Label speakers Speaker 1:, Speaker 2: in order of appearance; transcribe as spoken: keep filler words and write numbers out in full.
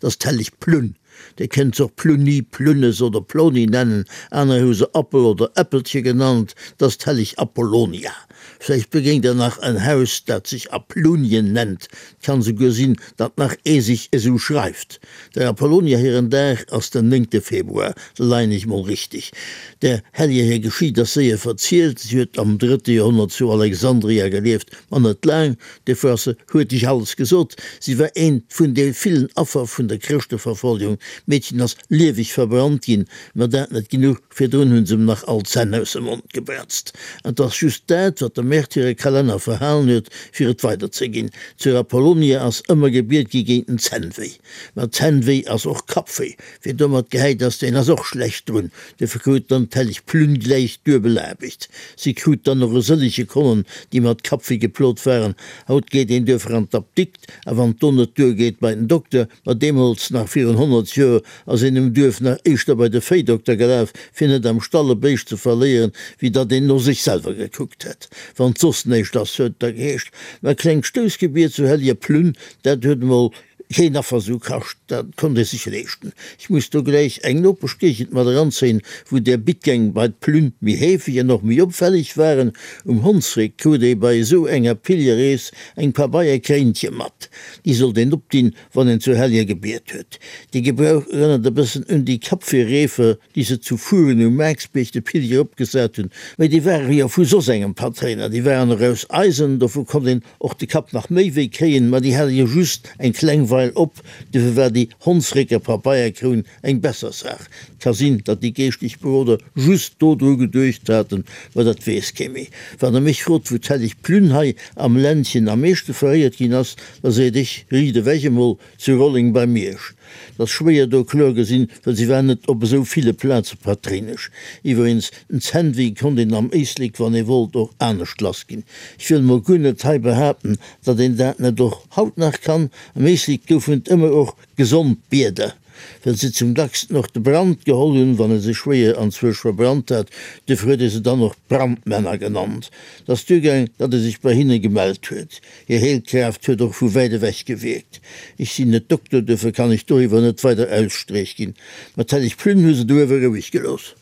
Speaker 1: Dat ass d'helleg Plunn. Dir kënnt se och Plunni, Plunnes oder Ploni nennen, aner hu se Appel oder Äppelche genannt. Dat ass d'helleg Apollonia. Vläicht begéint der nach en Haus, dat sech Aplunien nennt. 't kann souguer sinn, datt nach ee sech esou schreift. Der Apollonia hiren Dag ass den néngte Februar, da leien ech mol richteg. Der Helleger hir Geschicht ass séier verzielt, si huet am drëtte Joerhonnert zu Alexandria gelieft, ma net laang, duerfir ass se huerteg alles gesot. Si war eent vun de villen Affer vun der Chrëschteverfolgung. D'Meedchen ass lieweg verbrannt ginn, ma dat net genuch, virdrun hunn se em nach all d'Zänn aus dem Mond gebratzt. An 't ass just dat, wat de Märtyrerkalenner verhalen huet, fir et weiderzeginn. Zur Apollonia ass ëmmer gebiet gi géint den Zännwéi. Ma Zännwéi ass och Kappwéi. Wien domat gehäit ass, deen ass och schlecht drun. Duerfir krut dann d'helleg Plünn gläich duebel Aarbecht. Si krut dann och e sëllege Konnen, déi mat Kappwéi geplot waren. Haut geet een duerfir an d'Apdikt, a wann et do net duergeet, bei den Dokter. Ma deemools, nach virun honnert Joer, ass een um Duerf nach éischter bei de Véidokter gelaf, fir net am Stall e Béischt ze verléieren, wéi datt een no sech selwer gekuckt hätt. Wann 't soss näischt ass, huet et da geheescht. Mä e klengt Stoussgebiet zu Helleger Plünn, dat huet emol keen Affer sou kascht, dat konnt ee sech leeschten. Ech muss do gläich eng Nopeschgéigend mat eranzéien, wou där Bittgäng bei d'Plünn méi heefeg an och méi opfälleg waren. Um Hondsréck krut ee bei esou enger Pilgerrees eng Pabeierkréintche mat. Déi sollt een opdinn, wann een zur Helleger gebiet huet. Dee Gebrauch erënnert e bëssen un déi Kapfirreefer, déi se zu Furen um Maaksbierg de Pilger opgesat hunn. Mä déi ware jo vu soss engem Patréiner, déi waren och aus Eisen, dovu konnt een och de Kapp nach méi wéi kréien, ma déi hale jo just eng kleng Weil op, duerfir war déi Hondsrécker Papeierkroun eng besser Saach. 't ka sinn, datt déi geeschtlech Beroder just do dru geduecht haten, ma dat weess kee méi. Wann der mech frot, wou d'helleg Plünn hei am Ländchen am meeschte veréiert ginn ass, da seet ech riicht ewech emol, zu Rolleng bei Miersch. 't ass schwéier do kloer gesinn, well si war net op esou ville Plaze Patréinesch. Iwweregens, den Zännwéi konnt een am Éislek, wann ee wollt, och anescht lass ginn. Ech wëll mol guer net hei behaapten, datt een dat net och haut nach kann. Am Éislek goufen et ëmmer och gesond Bieder, well se zum dacksten och de Brand geholl hunn, wann ee sech schwéier anzwousch verbrannt hat. Duerfir huet ee se dann och Brandmänner genannt. 't ass duergaang, datt ee sech bei hinne gemellt huet. Hir Heelkraaft huet och vu wäit ewech gewierkt. Ech sinn net Dokter, duerfir kann ech doriwwer net weider Ausstreech ginn. Ma d'helleg Plünn hu se douewe roueg gelooss.